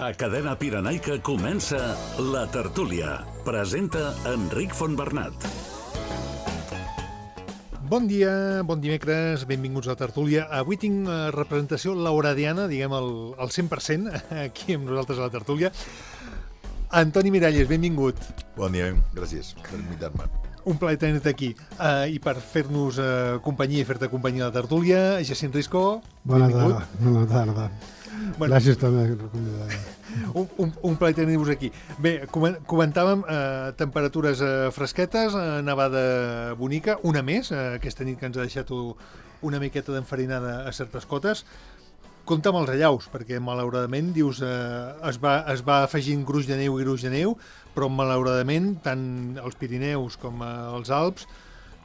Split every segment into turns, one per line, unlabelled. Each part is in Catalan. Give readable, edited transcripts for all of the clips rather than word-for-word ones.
A Cadena Pirenaica comença La Tertúlia. Presenta Enric Fontbernat.
Bon dia, bon dimecres, benvinguts a La Tertúlia. Avui tinc representació lauradiana, diguem el 100%, aquí amb nosaltres a La Tertúlia. Antoni Miralles, benvingut.
Bon dia, gràcies per invitar-me.
Un plaer tenir-te aquí. I per fer-nos companyia i fer-te companyia a La Tertúlia, Jacint Risco, benvingut.
Bona tarda. Bueno, gràcies també per convidar-me.
Un plaer tenir-vos aquí. Bé, comentàvem temperatures fresquetes, nevada bonica, una més, aquesta nit que ens ha deixat una miqueta d'enfarinada a certes cotes. Compte amb els allaus, perquè malauradament, dius, es va afegint gruix de neu, però malauradament, tant als Pirineus com als Alps,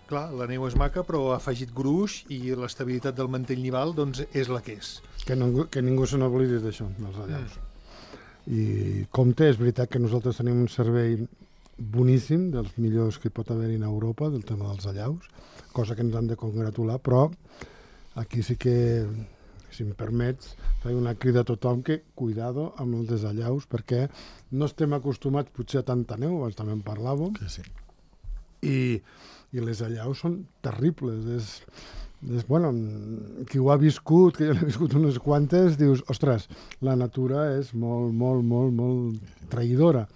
clar, la neu és maca, però ha afegit gruix i l'estabilitat del mantell nival doncs, és la que és.
Que ningú se n'oblidi d'això, dels allaus. I compte, és veritat que nosaltres tenim un servei boníssim, dels millors que pot haver-hi a Europa, del tema dels allaus, cosa que ens hem de congratular, però aquí sí que, si em permets, faig una crida a tothom que cuidado amb els desallaus, perquè no estem acostumats potser a tanta neu, abans també en parlàvem,
Sí.
I les allaus són terribles. Bueno, qui ho ha viscut, que jo l'he viscut unes quantes, dius, ostres, la natura és molt traïdora.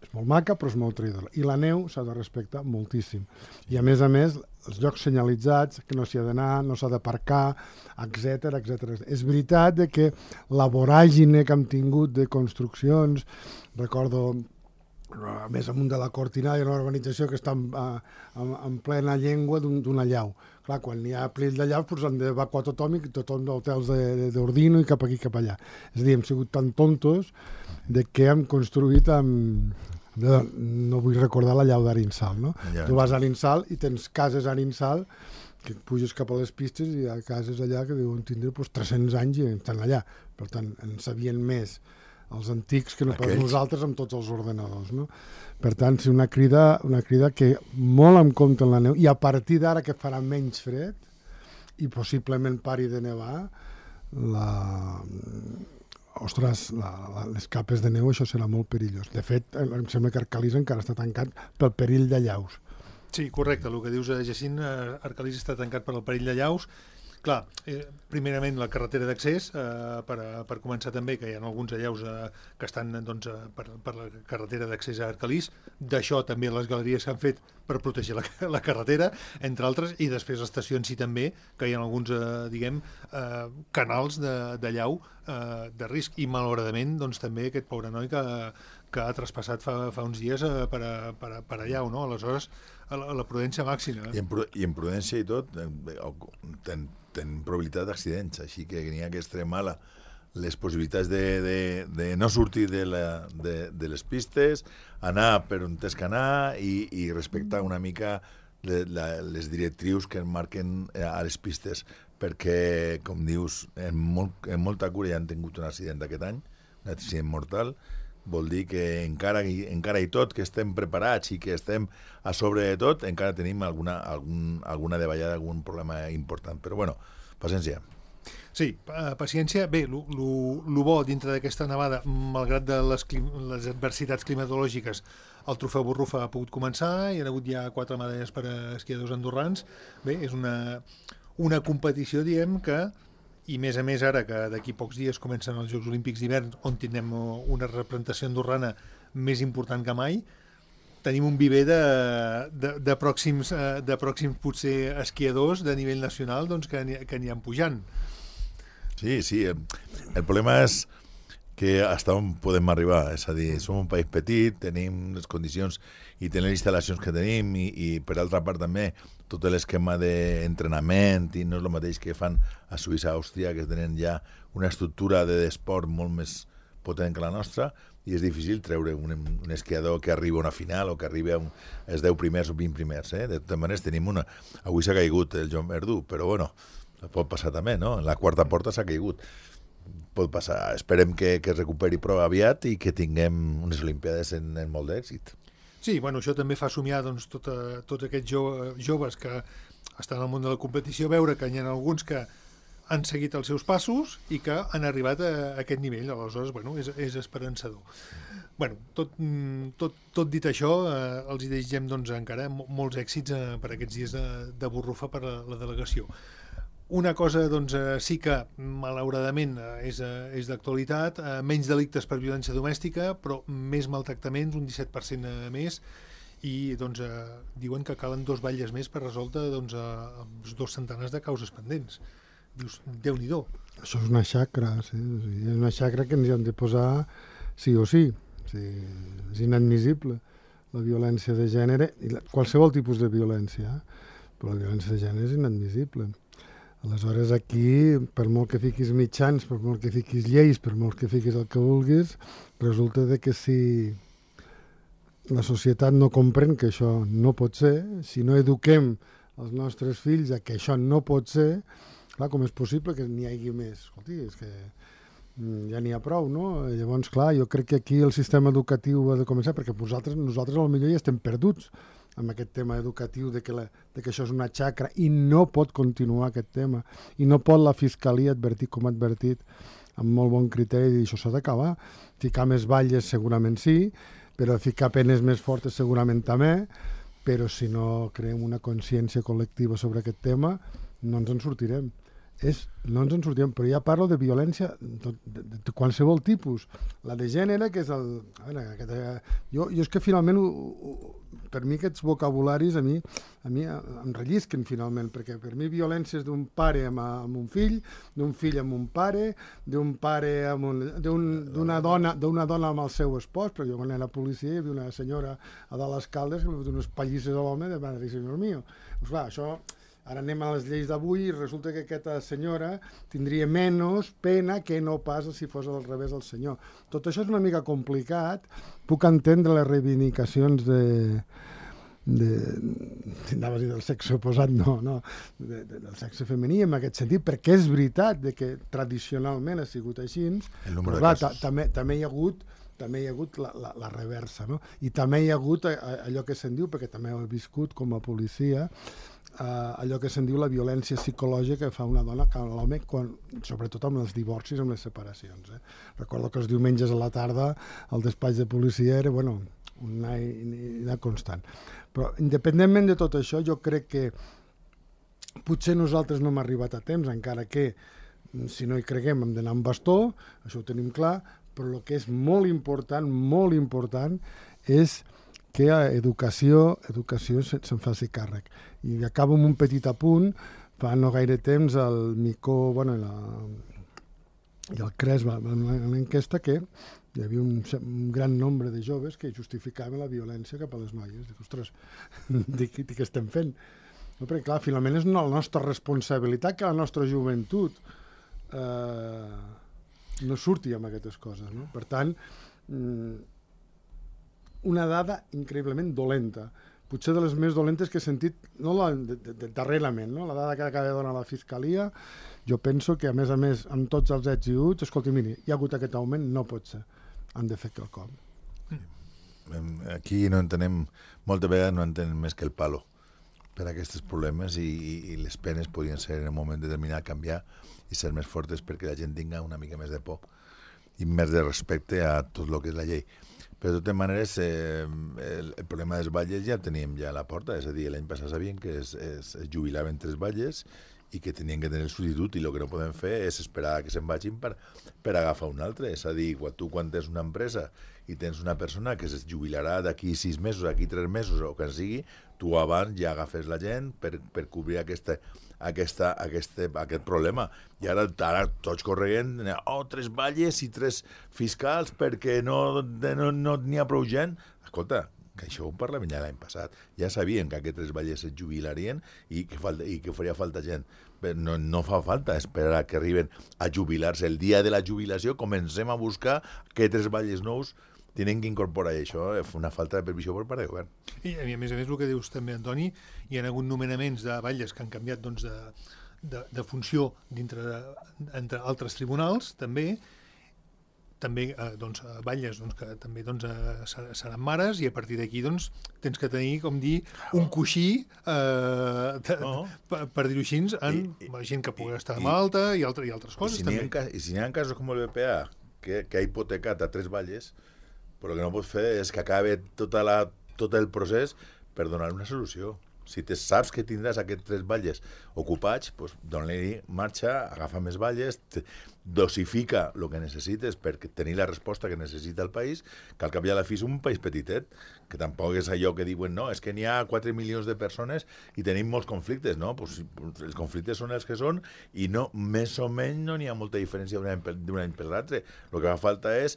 És molt maca, però és molt traïdora. I la neu s'ha de respectar moltíssim. I a més, els llocs senyalitzats, que no s'hi ha d'anar, no s'ha d'aparcar, etc. És veritat que la voràgine que hem tingut de construccions, recordo a més amunt de la Cortinada, hi ha una urbanització que està en plena llengua d'un allau. Clar, quan hi ha plill d'allaus, doncs han d'evacuar tothom i tothom d'hotels d'Ordino i cap aquí, cap allà. És a dir, hem sigut tan tontos que hem construït amb... No vull recordar l'allau d'Arinsal, no? Ja. Tu vas a Arinsal i tens cases a Arinsal que puges cap a les pistes i hi ha cases allà que deuen tindre 300 anys i estan allà. Per tant, en sabien més els antics que no pas nosaltres amb tots els ordenadors, no? Per tant, sí, una crida que molt en compte en la neu, i a partir d'ara que farà menys fred i possiblement pari de nevar, les capes de neu, això serà molt perillós. De fet, em sembla que Arcalís encara està tancat pel perill d'allaus.
Sí, correcte, el que dius, Jacint, Arcalís està tancat per el perill d'allaus. Clar, primerament la carretera d'accés, per començar també, que hi ha alguns allaus que estan doncs, per la carretera d'accés a Arcalís. D'això també les galeries s'han fet per protegir la carretera, entre altres, i després estacions sí també, que hi ha alguns, canals d'allau de risc. I malauradament, doncs també aquest pobre noi que ha traspassat fa uns dies per allau, no? Aleshores, la prudència màxima.
I en prudència i tot, ten probabilitat d'accidents, així que n'hi ha que extremar les possibilitats de no sortir de les pistes, anar per on tens que anar i respectar una mica les directrius que marquen a les pistes, perquè, com dius, en molta cura ja han tingut un accident aquest any, un accident mortal. Vol dir que encara i tot que estem preparats i que estem a sobre de tot, encara tenim alguna davallada, algun problema important. Però, bueno, paciència.
Sí, paciència. Bé, el bo dintre d'aquesta nevada, malgrat de les adversitats climatològiques, el trofeu Borrufa ha pogut començar, hi ha hagut ja 4 medalles per a esquiadors andorrans. Bé, és una competició, diguem, que... I més a més ara que d'aquí pocs dies comencen els Jocs Olímpics d'hivern, on tindrem una representació andorrana més important que mai, tenim un viver de pròxims potser esquiadors de nivell nacional doncs, que aniran pujant.
Sí, el problema és que fins on podem arribar, és a dir, som un país petit, tenim les condicions i tenim les instal·lacions que tenim i per altra part també tot l'esquema d'entrenament i no és el mateix que fan a Suïssa, a Àustria, que tenen ja una estructura d'esport molt més potent que la nostra i és difícil treure un esquiador que arriba a una final o que arriba als 10 primers o 20 primers. De totes maneres tenim avui s'ha caigut el Joan Verdú, però bueno, pot passar també, no? En la quarta porta s'ha caigut. Pot passar. Esperem que es recuperi prou aviat i que tinguem unes Olimpiades en molt d'èxit.
Sí, bueno, això també fa somiar doncs, tots aquests joves que estan al món de la competició, veure que hi ha alguns que han seguit els seus passos i que han arribat a aquest nivell. Aleshores, bueno, és esperançador. Bueno, tot dit això, els hi desitgem doncs, encara molts èxits per aquests dies de Borrufa per la delegació. Una cosa doncs, sí que, malauradament, és d'actualitat, menys delictes per violència domèstica, però més maltractaments, un 17% més, i doncs, diuen que calen 2 batlles més per resoldre doncs, 2 centenars de causes pendents. Dius, Déu-n'hi-do.
Això és una xacra, sí. És una xacra que ens hi hem de posar sí o sí. És inadmissible la violència de gènere, i qualsevol tipus de violència, però la violència de gènere és inadmissible. Aleshores, aquí, per molt que fiquis mitjans, per molt que fiquis lleis, per molt que fiquis el que vulguis, resulta que si la societat no comprèn que això no pot ser, si no eduquem els nostres fills a que això no pot ser, clar, com és possible que n'hi hagi més? Escolti, és que ja n'hi ha prou, no? Llavors, clar, jo crec que aquí el sistema educatiu ha de començar, perquè nosaltres potser ja estem perduts amb aquest tema educatiu de que això és una xacra i no pot continuar aquest tema, i no pot la Fiscalia advertir com ha advertit amb molt bon criteri, i això s'ha d'acabar. Ficar més batlles segurament sí, però ficar penes més fortes segurament també, però si no creem una consciència col·lectiva sobre aquest tema, no ens en sortirem. No ens en sortirem, però ja parlo de violència de qualsevol tipus. La de gènere, que és el... Jo és que finalment, per mi aquests vocabularis a mi em rellisquen finalment, perquè per mi violència és d'un pare amb un fill, d'un fill amb un pare, d'un pare d'una dona amb el seu espòs, però jo quan era policia hi havia una senyora a dalt les Caldes que li va donar unes pallisses a l'home de madre i senyor mío. Doncs clar, això... Ara anem a les lleis d'avui i resulta que aquesta senyora tindria menys pena que no pas si fos al revés el senyor. Tot això és una mica complicat. Puc entendre les reivindicacions del sexe oposat, del sexe femení en aquest sentit, perquè és veritat que tradicionalment ha sigut així, però clar, també hi ha hagut la reversa, no? I també hi ha hagut allò que se'n diu, perquè també ho he viscut com a policia, allò que se'n diu la violència psicològica que fa una dona que l'home, sobretot amb els divorcis, amb les separacions. Recordo que els diumenges a la tarda el despatx de policia era una constant. Però independentment de tot això, jo crec que potser nosaltres no hem arribat a temps, encara que si no hi creguem hem d'anar amb bastó, això ho tenim clar, però el que és molt important és que educació se'n faci càrrec. I acabo amb un petit apunt. Fa no gaire temps el Micó i el CRES van a l'enquesta que hi havia un gran nombre de joves que justificaven la violència cap a les noies. Dic, ostres, què estem fent? No, perquè clar, finalment és la nostra responsabilitat que la nostra joventut no surti amb aquestes coses. No? Per tant, una dada increïblement dolenta, potser de les més dolentes que he sentit darrerament, no? La dada que acaba de donar la Fiscalia, jo penso que a més, amb tots els ets i uts, escolti, miri, hi ha hagut aquest augment, no pot ser, han de fer quelcom.
Aquí no entenem, moltes vegades no entenem més que el palo per a aquests problemes i les penes podrien ser en un moment determinat canviar i ser més fortes perquè la gent tinga una mica més de por i més de respecte a tot el que és la llei. Però de totes maneres, el problema dels batlles ja el teníem ja a la porta, és a dir, l'any passat sabien que es jubilaven 3 batlles i que tenien que tenir el substitut i el que no podem fer és esperar que se'n vagin per agafar un altre. És a dir, quan tens una empresa i tens una persona que es jubilarà d'aquí 6 mesos, d'aquí 3 mesos o que sigui, tu abans ja agafes la gent per cobrir aquest problema. I ara tots correguen 3 batlles i 3 fiscals perquè no n'hi ha prou gent. Escolta, que això ho parlàvem ja l'any passat. Ja sabien que aquests 3 batlles es jubilarien i que faria falta gent. Però no fa falta esperar que arriben a jubilar-se. El dia de la jubilació comencem a buscar que 3 batlles nous tenen que incorporar això. És una falta de previsió per part del govern.
I a més el que dius també, Antoni, hi ha hagut nomenaments de batlles que han canviat doncs, de funció entre altres tribunals, també també batlles que també seran mares, i a partir d'aquí tens que tenir, com dir, un coixí per dir-ho així, en gent que pugui estar malalta i altres coses.
I si n'hi ha casos com el BPA, que ha hipotecat a 3 valles, però el que no pot fer és que acabi tot el procés per donar una solució. Si saps que tindràs aquests 3 valles ocupats, doncs dona-li marxa, agafa més valles, dosifica el que necessites per tenir la resposta que necessita el país, que al cap i a la fi és un país petitet, que tampoc és allò que diuen, no, és que n'hi ha 4 milions de persones i tenim molts conflictes, no? Pues els conflictes són els que són i no, més o menys no n'hi ha molta diferència d'un any per l'altre. El que fa falta és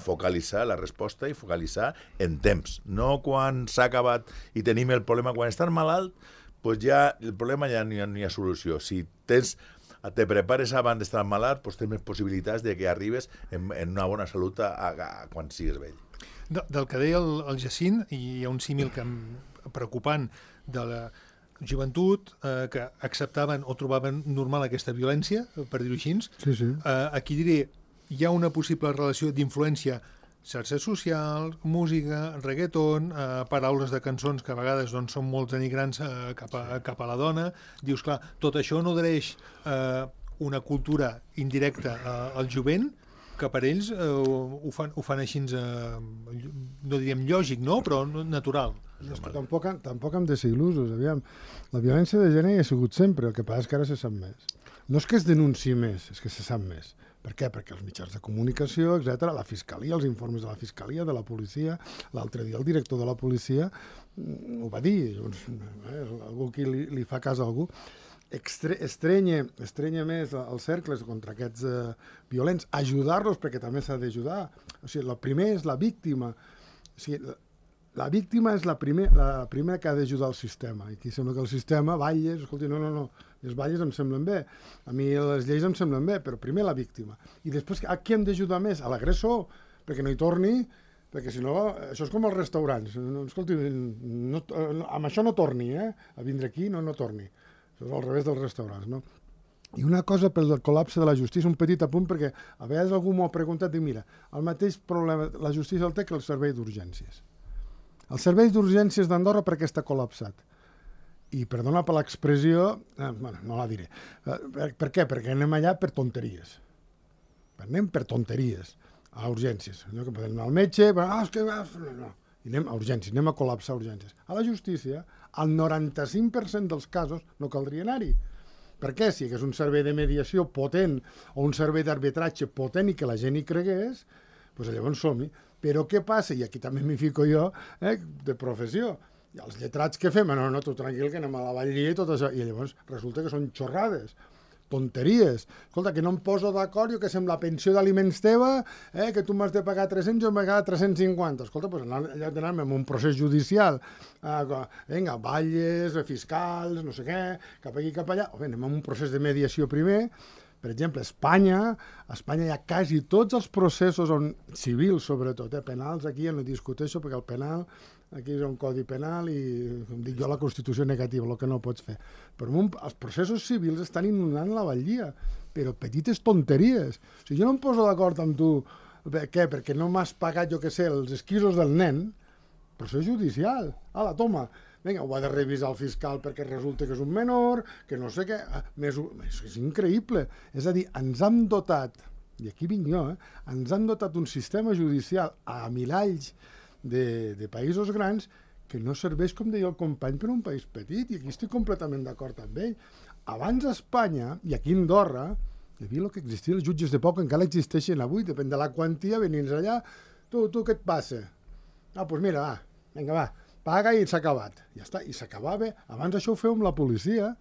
focalitzar la resposta i focalitzar en temps, no quan s'ha acabat i tenim el problema. Quan estàs malalt, pues ja el problema ja no hi ha solució. Si te prepares abans d'estar malalt, doncs tens més possibilitats de que arribes en una bona salut quan sigues vell.
Del que deia el Jacint, hi ha un símil preocupant de la joventut que acceptaven o trobaven normal aquesta violència, per dir-ho així.
Sí.
Aquí diré, hi ha una possible relació d'influència xarxes socials, música, reggaeton, paraules de cançons que a vegades són molt denigrants cap a la dona. Dius, clar, tot això nodreix una cultura indirecta al jovent, que per ells ho fan així, no diríem lògic, no? Però natural.
És que tampoc hem de ser il·lusos. Aviam, la violència de gènere hi ha sigut sempre, el que passa és que ara se sap més. No és que es denunciï més, és que se sap més. Per què? Perquè els mitjans de comunicació, etc., la fiscalia, els informes de la fiscalia, de la policia, l'altre dia el director de la policia ho va dir, algú que li fa cas a algú, estrenya més els cercles contra aquests violents, ajudar-los perquè també s'ha d'ajudar. O sigui, el primer és la víctima. O sigui, la víctima és la primera que ha d'ajudar el sistema. I aquí sembla que el sistema, balles, escolti, no, les balles em semblen bé, a mi les lleis em semblen bé, però primer la víctima. I després, a qui hem d'ajudar més? A l'agressor, perquè no hi torni, perquè si no, això és com els restaurants. Escolti, amb això no torni, a vindre aquí no torni. Això és al revés dels restaurants, no? I una cosa pel col·lapse de la justícia, un petit apunt, perquè a vegades algú m'ho ha preguntat i mira, el mateix problema la justícia el té que el servei d'urgències. El servei d'urgències d'Andorra perquè està col·lapsat. I, perdona per l'expressió, no la diré. Per què? Perquè anem allà per tonteries. Anem per tonteries a urgències. Allò que podem anar al metge, no. I anem a urgències, anem a col·lapsar urgències. A la justícia, el 95% dels casos no caldria anar-hi. Per què? Si hi hagués un servei de mediació potent o un servei d'arbitratge potent i que la gent hi cregués, doncs llavors som-hi. Però què passa? I aquí també m'hi fico jo, de professió. I els lletrats què fem? No, tu tranquil, que anem a la Vallia i tot això. I llavors resulta que són xorrades, tonteries. Escolta, que no em poso d'acord, jo que sé, amb la pensió d'aliments teva, que tu m'has de pagar 300, jo m'he pagat 350. Escolta, doncs allà d'anar-me en un procés judicial. Vinga, balles, fiscals, no sé què, cap aquí, cap allà. O bé, anem a un procés de mediació primer. Per exemple, a Espanya hi ha quasi tots els processos civils, sobretot, penals, aquí ja no discuteixo, perquè el penal, aquí és un codi penal i, com dic jo, la Constitució negativa, el que no pots fer. Però els processos civils estan inundant la Vallia, però petites tonteries. O sigui, jo no em poso d'acord amb tu, què? Perquè no m'has pagat, jo què sé, els esquisos del nen, procés judicial. Ala, toma. Vinga, ho ha de revisar el fiscal perquè resulta que és un menor, que no sé què... És increïble. És a dir, ens han dotat, i aquí vinc jo, ens han dotat un sistema judicial a miralls de països grans que no serveix, com deia el company, per un país petit, i aquí estic completament d'acord amb ell. Abans a Espanya, i aquí a Andorra, hi havia el que existia els jutges de pau, que encara existeixen avui, depèn de la quantia, venint allà, tu, què et passa? Doncs mira, vinga, paga i s'ha acabat. Ja està, i s'acabava. Abans això ho feu amb la policia.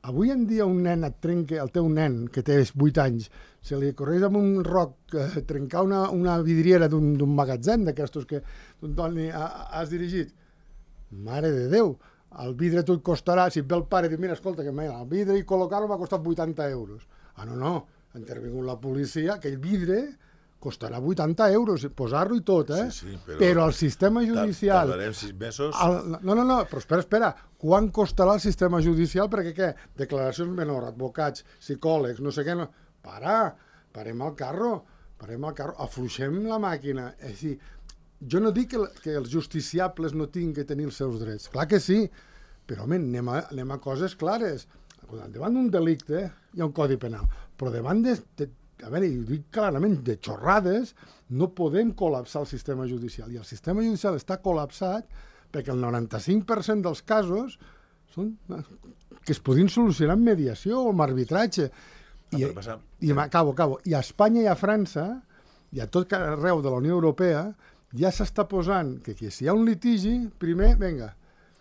Avui en dia un nen et trenca, el teu nen, que té 8 anys, se li correix amb un roc trencar una vidriera d'un magatzem d'aquestos que tu, Antoni, has dirigit. Mare de Déu, el vidre tu et costarà, si et ve el pare i diu, mira, escolta, que el vidre i col·locar-lo m'ha costat 80 euros. No, ha intervingut la policia, aquell vidre costarà 80 euros, posar-lo i tot,
Sí,
però el sistema judicial...
Tardarem 6 mesos...
No, però espera, quan costarà el sistema judicial? Perquè què? Declaracions menors, advocats, psicòlegs, no sé què... Para, parem el carro, afluixem la màquina. És a dir, jo no dic que els justiciables no tinguin que tenir els seus drets. Clar que sí, però, home, anem a coses clares. Davant d'un delicte hi ha un codi penal, però davant a veure, ho dic clarament, de xorrades, no podem col·lapsar el sistema judicial. I el sistema judicial està col·lapsat perquè el 95% dels casos són que es podien solucionar amb mediació o amb arbitratge. Acabo. I a Espanya i a França, i a tot arreu de la Unió Europea, ja s'està posant que si hi ha un litigi, primer, vinga.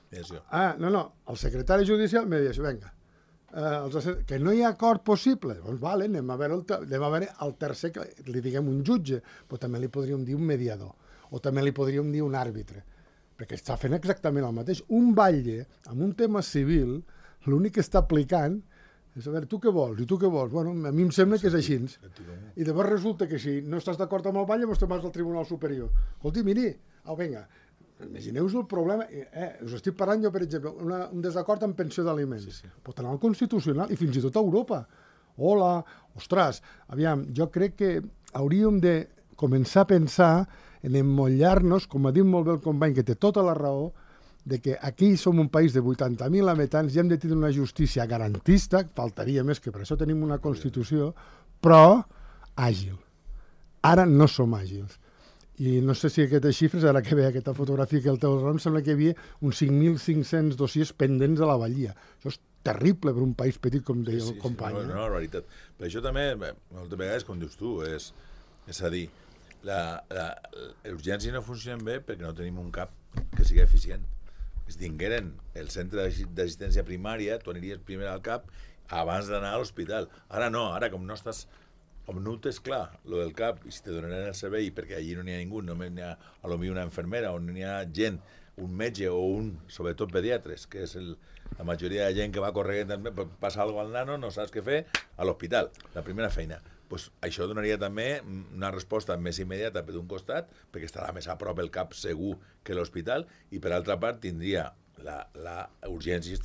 Mediació.
El secretari judicial, mediació, vinga. Que no hi ha acord possible, doncs vale, anem a veure el tercer, que li diguem un jutge, però també li podríem dir un mediador, o també li podríem dir un àrbitre, perquè està fent exactament el mateix. Un batlle, amb un tema civil, l'únic que està aplicant és a veure, tu què vols, i tu què vols? Bueno, a mi em sembla que és així. I llavors resulta que si no estàs d'acord amb el batlle, doncs te'n vas al Tribunal Superior. Escolti, miri, vinga, imagineu-vos el problema, us estic parlant jo, per exemple, un desacord en pensió d'aliments, pot anar al Constitucional i fins i tot a Europa. Hola, ostres, aviam, jo crec que hauríem de començar a pensar en emmotlar-nos, com ha dit molt bé el company, que té tota la raó, de que aquí som un país de 80.000 habitants i hem de tenir una justícia garantista, faltaria més, que per això tenim una Constitució, però àgil. Ara no som àgils. I no sé si aquestes xifres, ara que ve aquesta fotografia que el teu em sembla que hi havia uns 5.500 dossiers pendents a la Vallia. Això és terrible per un país petit, com deia el company.
No, la veritat. Per això també, moltes vegades, com dius tu, és a dir, les urgències no funcionen bé perquè no tenim un CAP que sigui eficient. Si tingueren el centre d'assistència primària, tu aniries primer al CAP abans d'anar a l'hospital. Ara no, ara com no estàs... Com no ho tens clar, lo del CAP, i si te donaran el servei, perquè allí no n'hi ha ningú, només n'hi ha potser una infermera, o no n'hi ha gent, un metge o sobretot pediatres, que és la majoria de gent que va corrent, passa alguna cosa al nano, no saps què fer, a l'hospital, la primera feina. Pues això donaria també una resposta més immediata per d'un costat, perquè estarà més a prop el CAP segur que l'hospital, i per altra part tindria la urgència,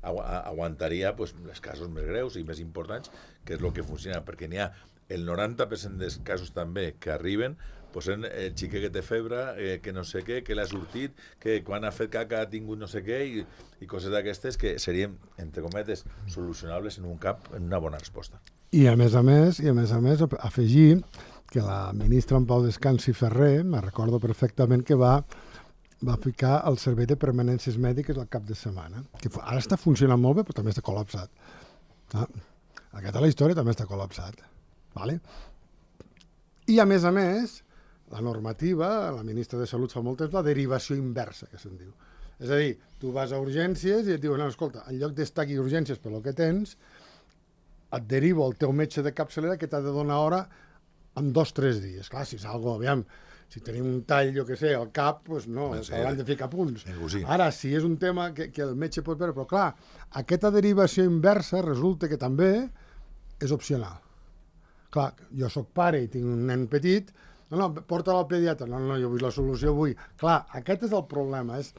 aguantaria pues, els casos més greus i més importants, que és el que funciona, perquè n'hi ha el 90% dels casos també que arriben posen el xiquet que té febre, que no sé què, que l'ha sortit, que quan ha fet caca ha tingut no sé què, i coses d'aquestes que serien, entre cometes, solucionables en un CAP, en una bona resposta.
I a més, afegir que la ministra en Pau Descansi Ferrer, me recordo perfectament que va ficar el servei de permanències mèdiques al cap de setmana, que ara està funcionant molt bé, però també està col·lapsat. Aquesta la història també està col·lapsat. Vale? I a més, la normativa, la ministra de Salut fa molt temps, la derivació inversa, que se'n diu. És a dir, tu vas a urgències i et diuen, no, escolta, en lloc d'estar aquí a urgències per lo que tens, et derivo el teu metge de capçalera que t'ha de donar hora en 2 o 3 dies. Clar, si és algo, aviam, si tenim un tall, jo què sé, al cap, doncs no, s'hauran de ficar punts. Ara, si és un tema que el metge pot veure, però clar, aquesta derivació inversa resulta que també és opcional. Clar, jo sóc pare i tinc un nen petit, no, porta-lo al pediatre, no, jo vull la solució avui. Clar, aquest és el problema, és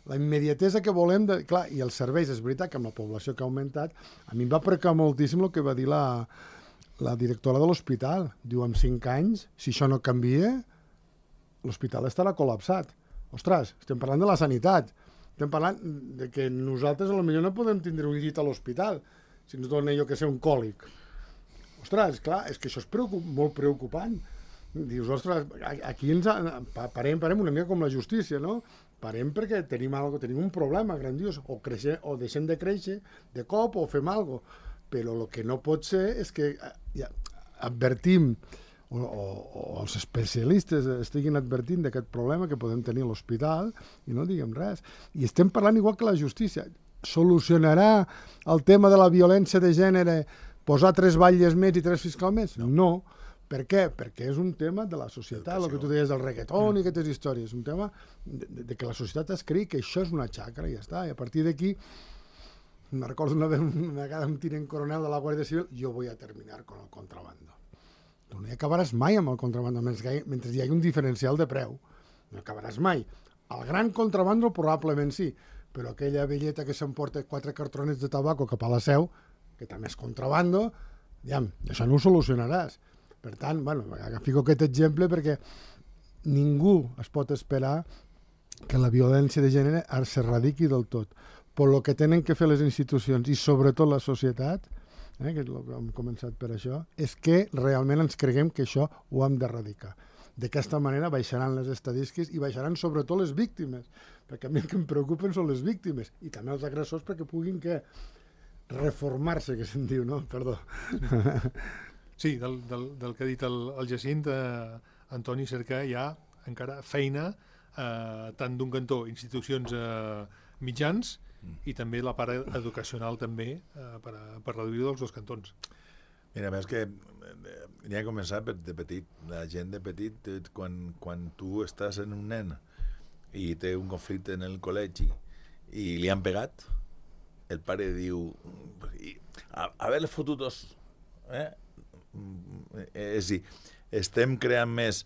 la immediatesa que volem, clar, i els serveis, és veritat que amb la població que ha augmentat, a mi em va preocupar moltíssim el que va dir la directora de l'hospital. Diu, en 5 anys, si això no canvia, l'hospital estarà col·lapsat. Ostres, estem parlant de la sanitat, estem parlant de que nosaltres potser no podem tindre un llit a l'hospital, si ens dona, jo que sé, un còlic. Ostres, clar, és que això és molt preocupant. Dius, ostres, aquí parem una mica com la justícia, no? Parem perquè tenim un problema grandiós, o deixem de créixer de cop o fem alguna cosa. Però el que no pot ser és que advertim, o els especialistes estiguin advertint d'aquest problema que podem tenir a l'hospital i no diguem res. I estem parlant igual que la justícia. Solucionarà el tema de la violència de gènere posar 3 batlles més i 3 fiscals més? No. Per què? Perquè és un tema de la societat, el que tu deies del reggaeton i aquestes històries. És un tema de que la societat es creï que això és una xacra i ja està. I a partir d'aquí, me recordo una vegada un tinent coronel de la Guàrdia Civil, jo voy a terminar con el contrabando. Tu no hi acabaràs mai amb el contrabando, mentre hi hagi un diferencial de preu. No acabaràs mai. El gran contrabando probablement sí, però aquella velleta que s'emporta 4 cartronets de tabaco cap a la Seu, que també és contrabando, això no ho solucionaràs. Per tant, fico aquest exemple perquè ningú es pot esperar que la violència de gènere s'erradiqui del tot. Però el que tenen que fer les institucions i sobretot la societat, que hem començat per això, és que realment ens creguem que això ho hem d'erradicar. D'aquesta manera baixaran les estadístiques i baixaran sobretot les víctimes, perquè a mi el que em preocupen són les víctimes i també els agressors perquè puguin reformar-se, que se'n diu, no? Perdó.
Sí, del que ha dit el Jacint, Antoni, cerca hi ha encara feina tant d'un cantó, institucions mitjans, i també la part educacional també per reduir-ho dels dos cantons.
Mira, més que ja he començat de petit. La gent de petit, quan tu estàs en un nen i té un conflicte en el col·legi i li han pegat, el pare diu haver-le fotut dos. És a dir, estem creant més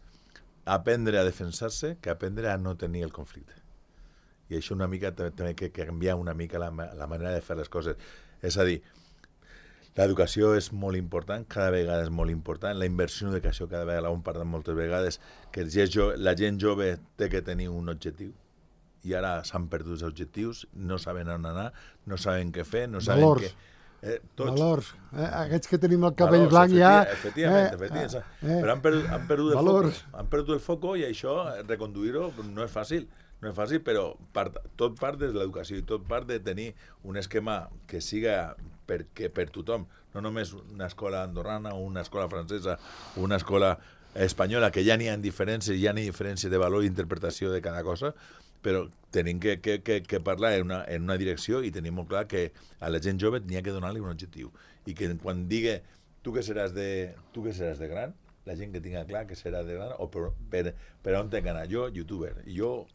aprendre a defensar-se que aprendre a no tenir el conflicte. I això una mica també que canviar una mica la manera de fer les coses. És a dir, l'educació és molt important, cada vegada és molt important, la inversió en educació cada vegada ho hem parlat moltes vegades, que la gent jove té que tenir un objectiu i ara s'han perdut els objectius, no saben on anar, no saben què fer, no saben
valors. Valors. Aquests que tenim el cabell blanc ja...
Efectivament. Però han perdut el foco i això, reconduir-ho, no és fàcil. No és fàcil, però tot part de l'educació i tot part de tenir un esquema que siga per tothom, no només una escola andorrana o una escola francesa o una escola espanyola, que ja n'hi ha diferències, ja n'hi ha diferències de valor i interpretació de cada cosa, però tenim que parlar en una direcció i tenim molt clar que a la gent jove n'hi ha que donar-li un objectiu. I que quan digui tu que seràs de gran, la gent que tinga clar que serà de gran o per on té que anar. Jo, youtuber, i jo,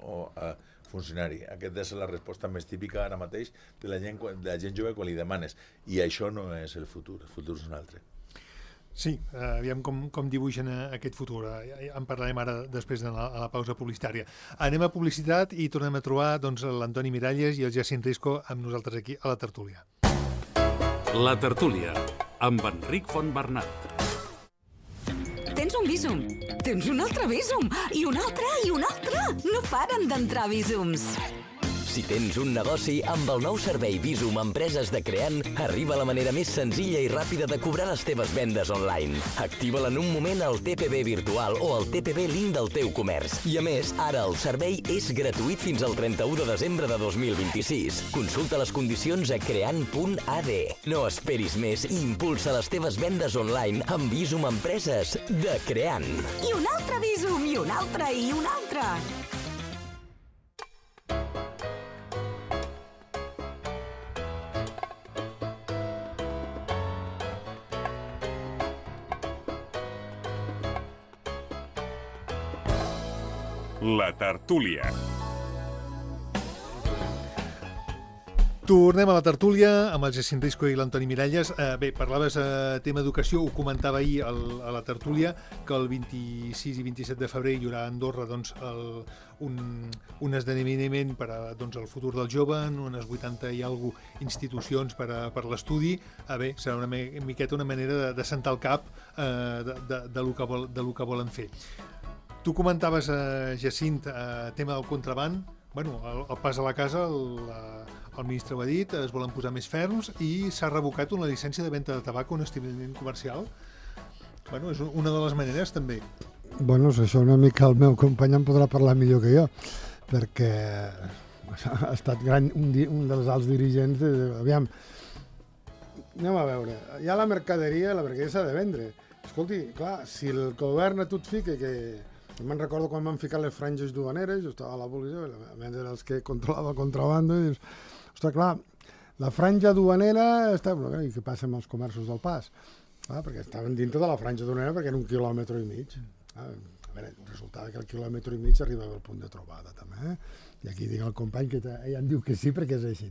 funcionari. Aquesta és la resposta més típica ara mateix de la gent jove quan li demanes. I això no és el futur és un altre.
Sí, aviam com dibuixen aquest futur. En parlarem ara després de la pausa publicitària. Anem a publicitat i tornem a trobar l'Antoni Miralles i el Jacint Risco amb nosaltres aquí a la tertúlia.
La tertúlia, amb Enric Fontbernat.
Tens un Bizum, tens un altre Bizum, i un altre, i un altre. No paren d'entrar Bizums.
Si tens un negoci, amb el nou servei Bizum Empreses de Creant, arriba la manera més senzilla i ràpida de cobrar les teves vendes online. Activa-la en un moment al TPB virtual o al TPB link del teu comerç. I a més, ara el servei és gratuït fins al 31 de desembre de 2026. Consulta les condicions a creant.ad. No esperis més i impulsa les teves vendes online amb Bizum Empreses de Creant.
I un altre Bizum, i un altre, i un altre.
La tertúlia.
Tornem a la tertúlia amb el Jacint Risco i l'Antoni Miralles. Bé, parlaves tema educació, ho comentava ahir a la tertúlia, que el 26 i 27 de febrer hi haurà a Andorra un esdeveniment per al futur del jove, en unes 80 i alguna institucions per l'estudi. Bé, serà una miqueta una manera de sentar el cap de lo que volen fer. Tu comentaves, Jacint, tema del contraband. Bueno, el pas a la casa, el ministre ho ha dit, es volen posar més ferms i s'ha revocat una llicència de venda de tabac o un establiment comercial. Bueno, és una de les maneres, també.
Bueno, això una mica el meu company en podrà parlar millor que jo, perquè ha estat un dels alts dirigents de... Aviam, anem a veure, hi ha la mercaderia s'ha de vendre. Escolti, clar, si el govern a tu et fica que... Me'n recordo quan van ficar les franges duaneres, jo estava a la policia, a més era els que controlava el contrabando, i dius, ostres, clar, la franja duanera està... I què passa amb els comerços del pas? Perquè estaven dintre de la franja duanera perquè era 1,5 quilòmetres. A veure, resultava que el 1,5 quilòmetres arribava al punt de trobada, també. I aquí dic al company que ell em diu que sí perquè és així.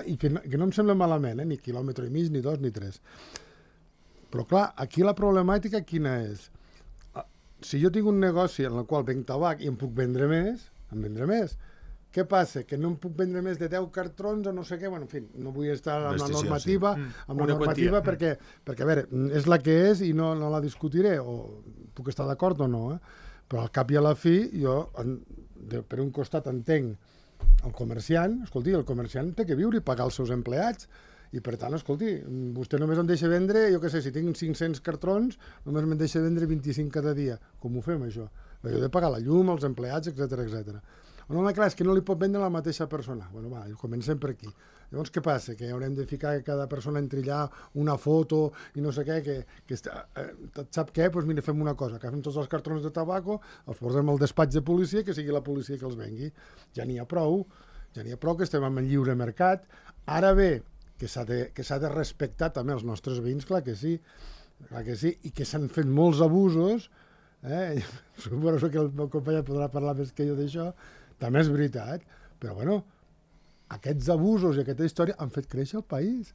I que no em sembla malament, ni 1,5 quilòmetres, ni 2, ni 3. Però clar, aquí la problemàtica quina és? Si jo tinc un negoci en el qual venc tabac i em puc vendre més, Què passa? Que no em puc vendre més de 10 cartrons o no sé què, bueno, en fi, no vull estar amb la normativa, perquè, a veure, és la que és i no la discutiré, o puc estar d'acord o no, però al cap i a la fi, jo, per un costat entenc el comerciant, escolti, el comerciant té que viure i pagar els seus empleats, i per tant, escolti, vostè només em deixa vendre, jo què sé, si tinc 500 cartrons, només me'n deixa vendre 25 cada dia. Com ho fem, això? Jo he de pagar la llum, els empleats, etc. No, clar, és que no li pot vendre la mateixa persona. Bueno, va, comencem per aquí. Llavors, què passa? Que haurem de ficar que cada persona entri allà una foto i no sé què, sap què? Doncs mira, fem una cosa, agafem tots els cartrons de tabaco, els posem al despatx de policia, que sigui la policia que els vengui. Ja n'hi ha prou que estem en lliure mercat. Ara bé, que s'ha de respectar també els nostres veïns, clar que sí, i que s'han fet molts abusos, suposo que el meu company podrà parlar més que jo d'això, també és veritat, però bueno, aquests abusos i aquesta història han fet créixer el país.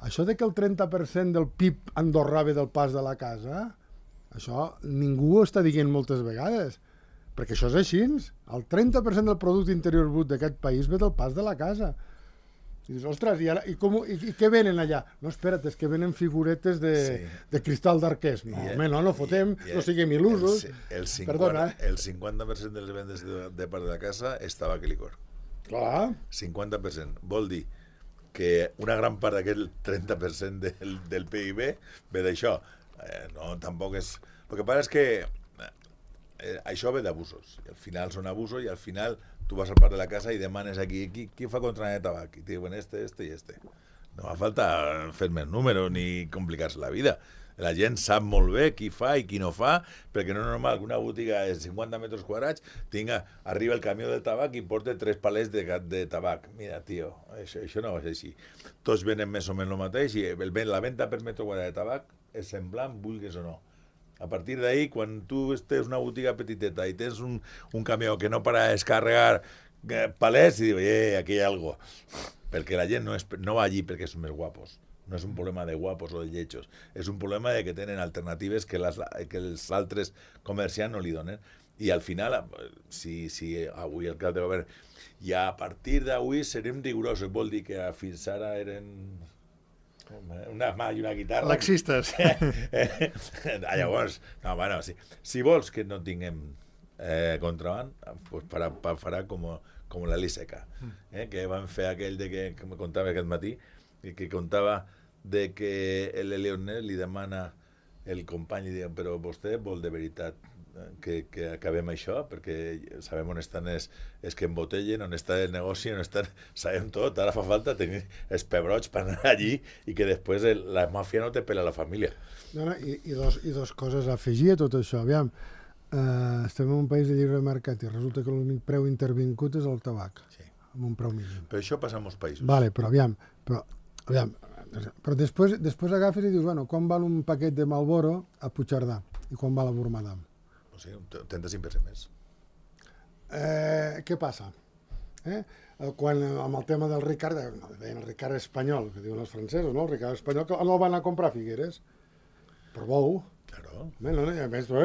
Això de que el 30% del PIB andorrà ve del pas de la casa, això ningú ho està dient moltes vegades, perquè això és així. El 30% del producte interior brut d'aquest país ve del pas de la casa. I dius, ostres, i què venen allà? No, espera't, és que venen figuretes de cristal d'arquers. No, home, no fotem, no siguem il·lusos.
El 50% de les vendes de part de la casa és tabac i licor.
Clar.
50%. Vol dir que una gran part d'aquest 30% del PIB ve d'això. No, tampoc és... El que passa és que això ve d'abusos. Al final són abusos i al final tu vas al parc de la casa i demanes aquí qui fa contraband de tabac? I te diuen este i este. No fa falta fer més números ni complicar-se la vida. La gent sap molt bé qui fa i qui no fa, perquè no és normal que una botiga de 50 metres quadrats arriba el camió del tabac i porta 3 palets de tabac. Mira, tio, això no va ser així. Tots venen més o menys el mateix i la venda per metre quadrat de tabac és semblant, vulguis o no. A partir d'ahí, quan tu tens una botiga petiteta i tens un camió que no para de descarregar palets, i diu, aquí hi ha algo. Perquè la gent no va allí perquè són més guapos. No és un problema de guapos o de lletjos. És un problema de que tenen alternatives que els altres comerciants no li donen. I al final, si avui el cap de govern, i a partir d'avui serem rigorosos, vol dir que fins ara eren... una mà i una guitarra.
Laxistes.
Llavors, no, bueno, si vols que no tinguem contraband, pues farà com la Liseca, que van fer aquell de que me contava aquest matí, que contava de que el Leonel li demana el company i diu, però vostè vol de veritat que acabem això, perquè sabem on estan els que embotellen, on està el negoci, on estan... Sabem tot, ara fa falta tenir els pebrots per anar allí i que després la màfia no te pela la família.
I dos coses a afegir a tot això. Aviam, estem en un país de lliure mercat i resulta que l'únic preu intervingut és el tabac, amb un preu mínim.
Però això passa en molts països.
Vale, però després agafes i dius, bueno, quan val un paquet de Marlboro a Puigcerdà i quan val a Bormadam?
O sigui, un 35% més.
Què passa? Quan amb el tema del Ricard, deien el Ricard espanyol, que diuen els francesos, no? El Ricard espanyol, que no el van a comprar a Figueres. Per bou.
Claro.
No, i a més,
no,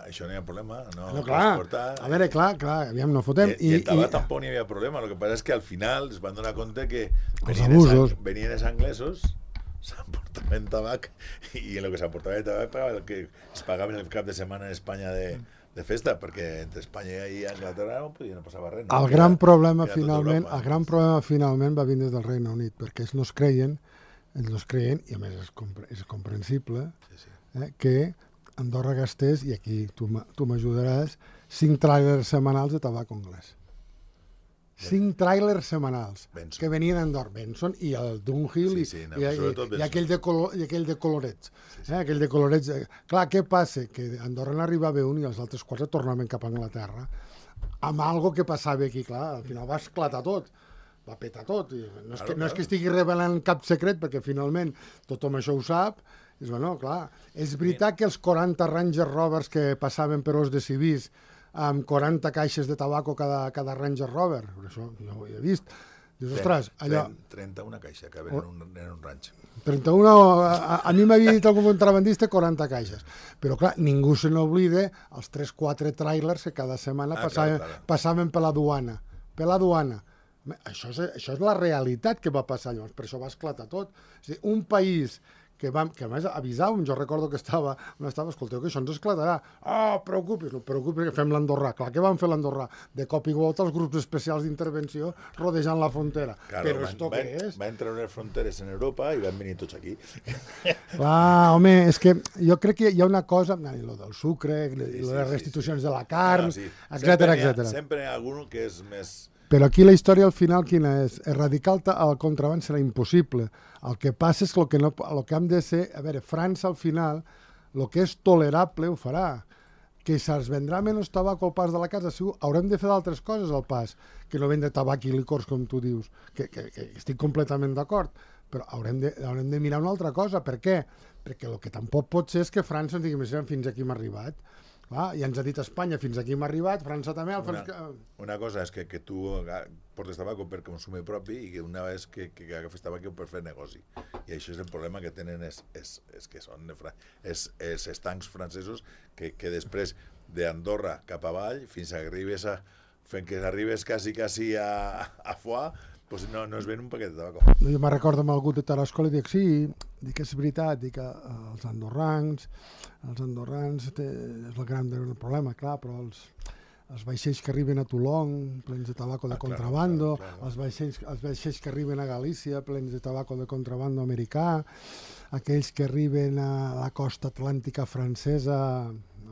això no hi ha problema.
No, clar. A veure, clar, aviam, no fotem.
I el tabac tampoc n'hi havia problema. El que passa és que al final es van donar compte que venien els anglesos, s'emportaven tabac i en el que s'emportava el tabac es pagaven el cap de setmana en Espanya de festa, perquè entre Espanya i Anglaterra no passava res.
El gran problema finalment va vindre del Regne Unit, perquè ells no es creien, i a més és comprensible, que Andorra gastés, i aquí tu m'ajudaràs, 5 tràilers setmanals de tabac anglès. 5 tràilers setmanals que venien d'Andorra, Benson i el Dunhill i aquell de Colorets. Aquell de Colorets. Clar, què passa? Que Andorra n'arribava un i els altres 4 tornaven cap a Anglaterra amb algo que passava aquí, clar, al final va esclatar tot, va petar tot. No és que estigui revelant cap secret, perquè finalment tothom això ho sap. És veritat que els 40 Ranger Rovers que passaven per Os de Civís amb 40 caixes de tabaco cada Ranger Rover, això no ho he vist, Dius, ostres, allò...
31 caixes que venen en un ranx.
31, a mi m'havia dit algun contrabandista 40 caixes. Però, clar, ningú se n'oblida els 3-4 trailers que cada setmana passaven per la duana. Per la duana. Això és la realitat que va passar llavors, per això va esclatar tot. És a dir, un país que a més avisàvem, jo recordo que estava, escolteu, que això ens esclatarà. Preocupis, no preocupis, que fem l'Andorrà. Clar, què van fer l'Andorrà? De cop i volta els grups especials d'intervenció rodejant la frontera.
Claro,
però esto què és?
Va entrar unes fronteres en Europa i van venir tots aquí.
Clar, home, és que jo crec que hi ha una cosa, lo del sucre, les restitucions de la carn, etcètera.
Sempre hi ha algú que és més...
Però aquí la història al final quina és? Erradicar el contraband serà impossible. El que passa és que el que hem de ser... A veure, França al final, el que és tolerable ho farà. Que se'ls vendrà menys tabac al pas de la casa, segur, haurem de fer d'altres coses al pas, que no vendre tabac i licors, com tu dius, que estic completament d'acord, però haurem de mirar una altra cosa. Per què? Perquè el que tampoc pot ser és que França ens digui, fins aquí hem arribat. Ja ens ha dit Espanya, fins aquí hem arribat, França també...
Una cosa és que tu portes tabac per consum propi i que una vegada que agafes tabac per fer negoci. I això és el problema que tenen és que són els estancs francesos que després d'Andorra cap avall fins que arribes quasi a Foix, pues no es ven un paquet de tabac.
Jo me'n recordo amb algú de Tarascon i dic, sí, dic, és veritat, dic, els andorrans és el gran problema, clar, però els vaixells que arriben a Toulon plens de tabaco de contrabando, els vaixells que arriben a Galícia plens de tabaco de contrabando americà, aquells que arriben a la costa atlàntica francesa,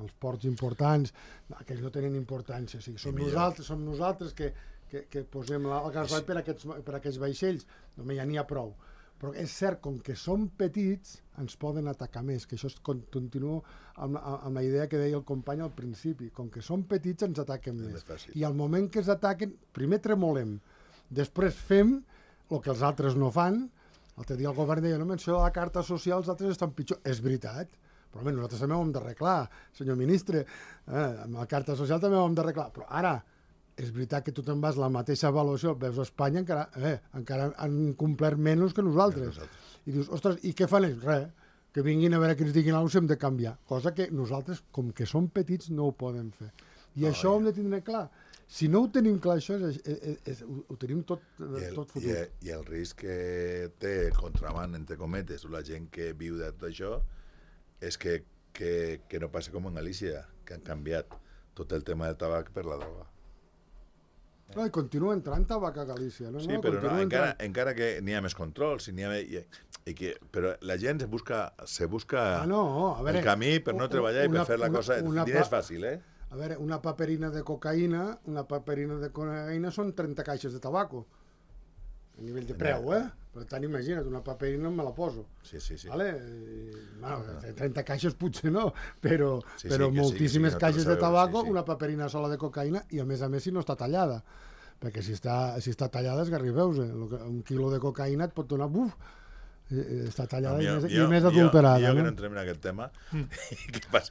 els ports importants, aquells no tenen importància, o sigui, som nosaltres que posem el gasol per aquests vaixells, només ja n'hi ha prou. Però és cert, com que som petits, ens poden atacar més, que això continuo amb la idea que deia el company al principi, com que som petits ens ataquen més. I al moment que ens ataquen, primer tremolem, després fem el que els altres no fan. L'altre dia el govern deia, no menció la carta social, els altres estan pitjor. És veritat, però nosaltres també ho hem d'arreglar, senyor ministre, amb la carta social també ho hem d'arreglar, però ara és veritat que tu te'n vas la mateixa avaluació, veus a Espanya, encara han complert menys que nosaltres. I dius, ostres, i què fan ells? Res, que vinguin a veure que ens diguin alguna cosa, hem de canviar. Cosa que nosaltres, com que som petits, no ho podem fer. I això ho hem de tindre clar. Si no ho tenim clar, això ho tenim tot fotut.
I el risc que té el contraband, entre cometes, o la gent que viu de tot això, és que no passa com en Galícia, que han canviat tot el tema del tabac per la droga.
I continua entrant tabac a Galícia.
Sí, però encara que n'hi ha més controls, però la gent se busca el camí per no treballar i per fer la cosa. És fàcil, eh?
A veure, una paperina de cocaïna són 30 caixes de tabaco. A nivell de preu, Per tant, imagina't, una paperina me la poso.
Sí.
Vale? 30 caixes potser no, però moltíssimes caixes de tabaco, una paperina sola de cocaïna i a més si no està tallada. Perquè si està tallada és garribeus. Un quilo de cocaïna et pot donar... està tallada i més adulterada.
Jo que no entrem en aquest tema.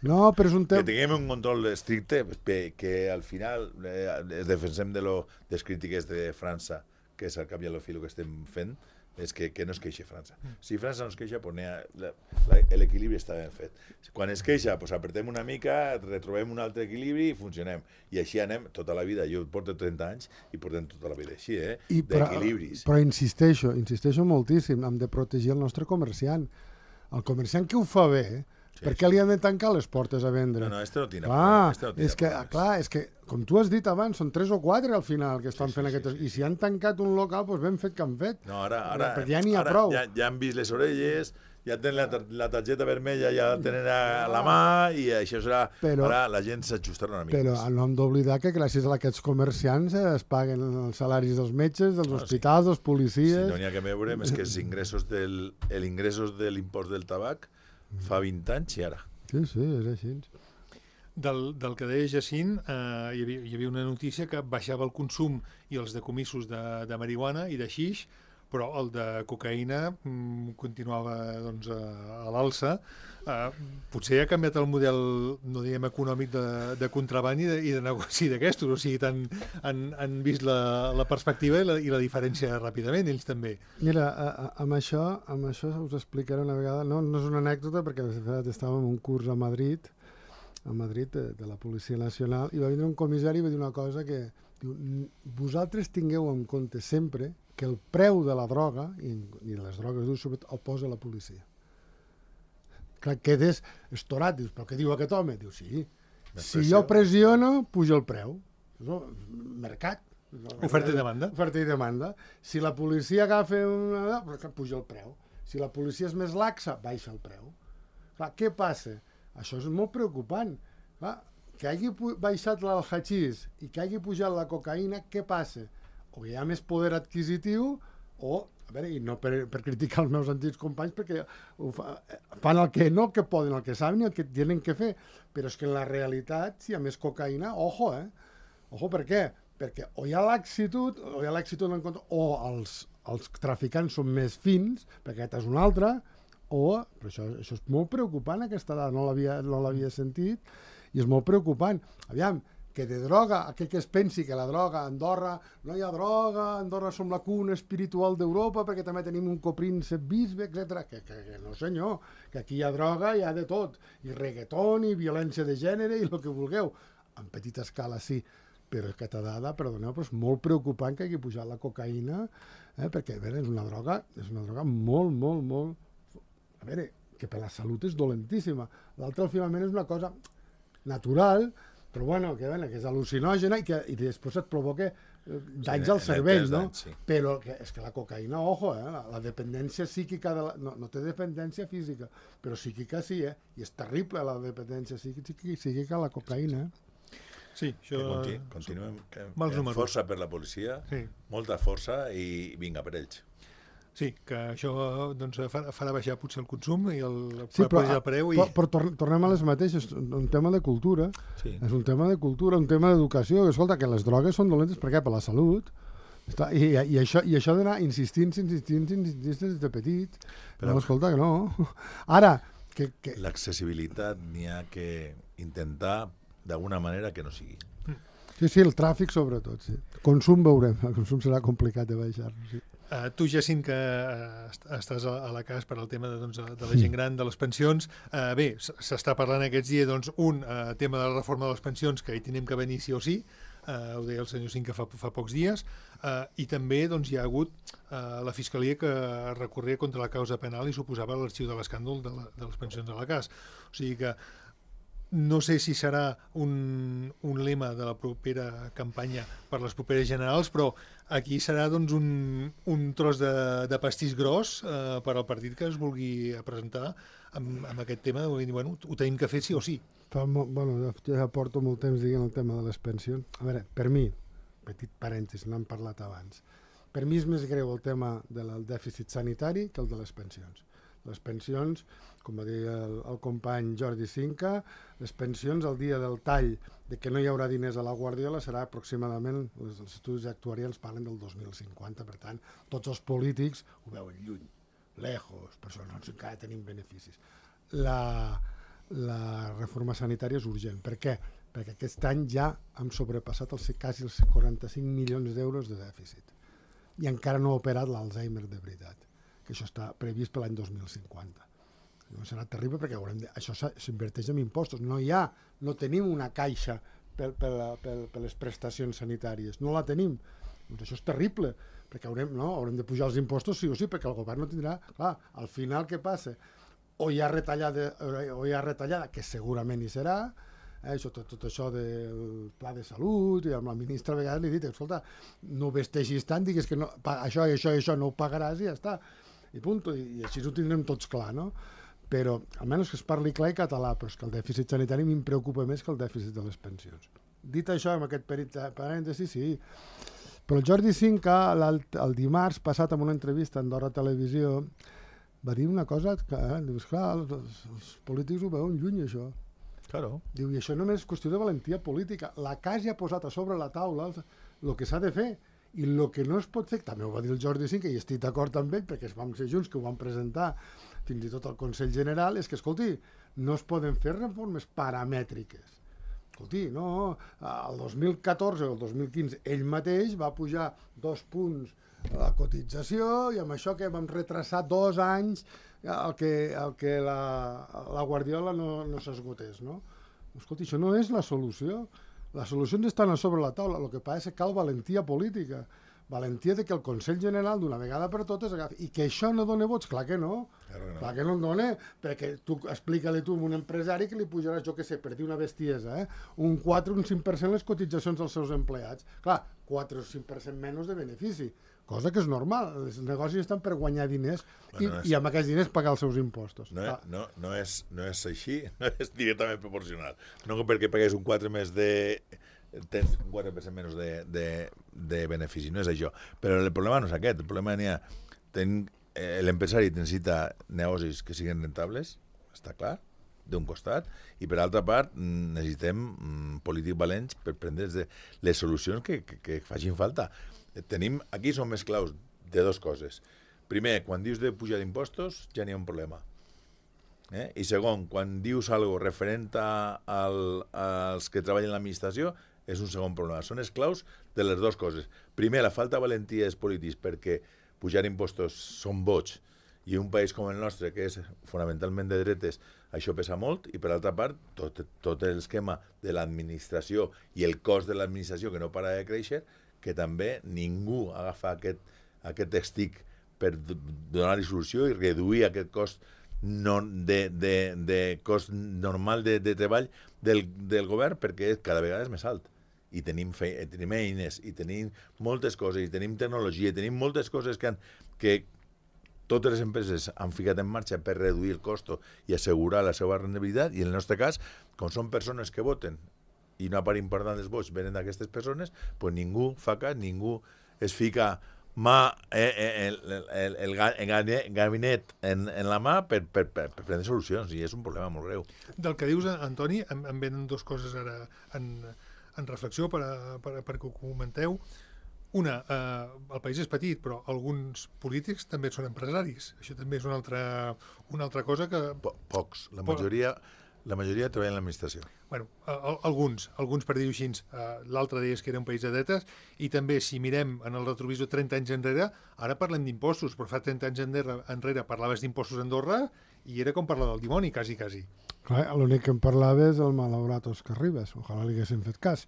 No, però és un tema...
Que tinguem un control estricte, que al final defensem de les crítiques de França, que és al cap i a la fi el que estem fent, és que no es queixi França. Si França no es queixa, l'equilibri està ben fet. Quan es queixa, apretem una mica, retrobem un altre equilibri i funcionem. I així anem tota la vida. Jo porto 30 anys i portem tota la vida així, d'equilibris.
Però insisteixo moltíssim, hem de protegir el nostre comerciant. El comerciant que ho fa bé, per què li han de tancar les portes a vendre?
No, este no tira.
És que, com tu has dit abans, són 3 o 4 al final que estan fent aquestes... I si han tancat un local, doncs ben fet que han fet.
No, ara
ja n'hi ha prou.
Ja han vist les orelles, ja tenen la targeta vermella, ja la tenen a la mà, i això serà... Ara la gent s'ajustarà una mica.
Però no hem d'oblidar que gràcies a aquests comerciants es paguen els salaris dels metges, dels hospitals, dels policies...
Si no n'hi ha que veure, és que els ingressos de l'impost del tabac fa 20 anys i ara.
Sí, és així.
Del que deia Jacint, hi havia una notícia que baixava el consum i els decomissos de marihuana i de xix, però el de cocaïna continuava doncs, a l'alça. Potser ha canviat el model, no diguem econòmic, de contraban i de negoci d'aquestos, o sigui, han vist la perspectiva i la diferència ràpidament, ells també.
Mira, amb això us explicaré una vegada, no és una anècdota, perquè de fet estàvem en un curs a Madrid de la Policia Nacional, i va vindre un comissari i va dir una cosa que diu, vosaltres tingueu en compte sempre que el preu de la droga, i les drogues dures, sobretot, el posa la policia. Clar, quedes estorat, dius, però què diu aquest home? Diu, sí, si jo pressiono, puja el preu. Mercat.
Oferta i demanda.
Oferta i demanda. Si la policia agafa una... puja el preu. Si la policia és més laxa, baixa el preu. Clar, què passa? Això és molt preocupant. Clar, que hagi baixat el hachís i que hagi pujat la cocaïna, què passa? O hi ha més poder adquisitiu o... A veure, i no per criticar els meus antics companys, perquè fan el que no, el que poden, el que saben i el que tenen que fer. Però és que en la realitat, si hi ha més cocaïna, ojo, Ojo, per què? Perquè o hi ha laxitud, en compte, o els traficants són més fins, perquè aquest és un altre, però això és molt preocupant, aquesta dada, no l'havia sentit, i és molt preocupant. Aviam, que de droga, aquell que es pensi que la droga a Andorra, no hi ha droga, a Andorra som la cuna espiritual d'Europa perquè també tenim un copríncep bisbe, etc. Que no senyor, que aquí hi ha droga, hi ha de tot, i reggaeton, i violència de gènere, i el que vulgueu. En petita escala sí, però aquesta dada, perdoneu, però és molt preocupant que hagi pujat la cocaïna, perquè a veure, és una droga molt, molt, molt... A veure, que per la salut és dolentíssima. L'altre, finalment, és una cosa natural, però bueno, que és al·lucinògena i després et provoca danys al cervell, no?
Sí.
Però és que la cocaïna, ojo, la dependència psíquica, no té dependència física, però psíquica sí, i és terrible la dependència psíquica a la cocaïna.
Sí, això...
Continuem.
Mals números.
Força per la policia,
sí.
Molta força i vinga per ells.
Sí, que això doncs, farà baixar potser el consum i el preu.
Però tornem a les mateixes, un tema de cultura,
sí.
És un tema de cultura, un tema d'educació. Escolta, que les drogues són dolentes, per què? Per la salut. I això d'anar insistint des de petit. Però escolta, que no. Ara...
L'accessibilitat n'hi ha que intentar d'alguna manera que no sigui.
Sí, el tràfic sobretot, sí. Consum veurem, el consum serà complicat de baixar, sí.
Tu, Jacint, que estàs a la CAS per al tema de la gent gran, de les pensions, bé, s'està parlant aquests dies, doncs, tema de la reforma de les pensions, que hi tenim que venir sí o sí, ho deia el senyor Cinc que fa pocs dies, i també doncs, hi ha hagut la Fiscalia que recorria contra la causa penal i suposava l'arxiu de l'escàndol de les pensions de la CAS. O sigui que no sé si serà un lema de la propera campanya per les properes generals, però aquí serà doncs, un tros de pastís gros per al partit que es vulgui presentar amb aquest tema. Bueno, ho tenim que fer sí o sí.
Ja porto molt temps dient el tema de les pensions. A veure, per mi, petit parèntesis, n'hem parlat abans, per mi és més greu el tema del dèficit sanitari que el de les pensions. Les pensions, com va dir el company Jordi Cinca, les pensions el dia del tall de que no hi haurà diners a la Guardiola serà aproximadament, els estudis actuarials parlen del 2050, per tant, tots els polítics ho veuen lluny, lejos, per això encara tenim beneficis. La reforma sanitària és urgent. Per què? Perquè aquest any ja hem sobrepassat quasi els 45 milions d'euros de dèficit i encara no ha operat l'Alzheimer de veritat, que això està previst per l'any 2050. Serà terrible perquè això s'inverteix en impostos. No tenim una caixa per les prestacions sanitàries. No la tenim. Doncs això és terrible, perquè haurem de pujar els impostos sí o sí, perquè el govern no tindrà... Clar, al final què passa? O hi ha retallada, que segurament hi serà, tot això del pla de salut, i amb la ministra a vegades li he dit, escolta, no vesteixis tant, digues que no, això i això no ho pagaràs i ja està. I punt, i així ho tindrem tots clar, no? Però almenys que es parli clar i català, però és que el dèficit sanitari a mi em preocupa més que el dèficit de les pensions. Dit això, amb aquest parèntesi, sí. Però el Jordi Cinca, el dimarts passat, en una entrevista a Andorra Televisió, va dir una cosa que, dius, clar, els polítics ho veuen lluny, això.
Claro.
Diu, i això només és qüestió de valentia política. La CAS ja ha posat a sobre la taula el que s'ha de fer. I el que no es pot fer, també ho va dir el Jordi Cinca, i estic d'acord amb ell, perquè vam ser junts, que ho vam presentar fins i tot al Consell General, és que, escolti, no es poden fer reformes paramètriques. Escolti, no, el 2014 o el 2015 ell mateix va pujar 2 punts la cotització i amb això que vam retrasar 2 anys el que la Guardiola no s'esgotés, no? Escolti, això no és la solució. Les solucions estan a sobre la taula. El que passa és que cal valentia política. Valentia de que el Consell General d'una vegada per totes agafi. I que això no dona vots, clar que no. Clar que no en dona, perquè tu explica-li tu a un empresari que li pujaràs, jo què sé, per dir una bestiesa, un 4 o un 5% les cotitzacions dels seus empleats. Clar, 4 o 5% menys de benefici, cosa que és normal. Els negocis estan per guanyar diners i amb aquests diners pagar els seus impostos.
No és així, no és directament proporcional. No perquè pagués un 4 més tens un 4% menys de benefici, no és això. Però el problema no és aquest, el problema n'hi ha... L'empresari necessita negocis que siguin rentables, està clar, d'un costat, i per altra part necessitem polítics valents per prendre les solucions que facin falta. Aquí som més claus de 2 coses. Primer, quan dius de pujar d'impostos ja n'hi ha un problema. I segon, quan dius alguna cosa referent als que treballen a l'administració, és un segon problema. Són esclaus de les 2 coses. Primer, la falta de valentia dels polítics perquè pujar impostos són boig i un país com el nostre, que és fonamentalment de dretes, això pesa molt, i per altra part, tot l'esquema de l'administració i el cost de l'administració que no para de créixer, que també ningú agafa aquest estic per donar-hi solució i reduir aquest cost de cost normal de treball del govern, perquè cada vegada és més alt. I tenim eines, i tenim moltes coses, i tenim tecnologia, i tenim moltes coses que totes les empreses han ficat en marxa per reduir el cost i assegurar la seva rendibilitat, i en el nostre cas, com són persones que voten, i una part important dels vots venen d'aquestes persones, doncs ningú fa cas, ningú es fica el gabinet en la mà per prendre solucions, i és un problema molt greu.
Del que dius, Antoni, em venen 2 coses ara en reflexió perquè ho comenteu. Una, el país és petit, però alguns polítics també són empresaris. Això també és una altra cosa que...
Pocs. La majoria treballen en l'administració.
Bueno, alguns per dir-ho així. L'altre dia és que era un país de dretes, i també, si mirem en el retrovisor 30 anys enrere, ara parlem d'impostos, però fa 30 anys enrere parlaves d'impostos a Andorra i era com parlar del dimoni, quasi.
Clar, l'únic que em parlava és el malaurat Òscar Ribas. Ojalà li haguessin fet cas,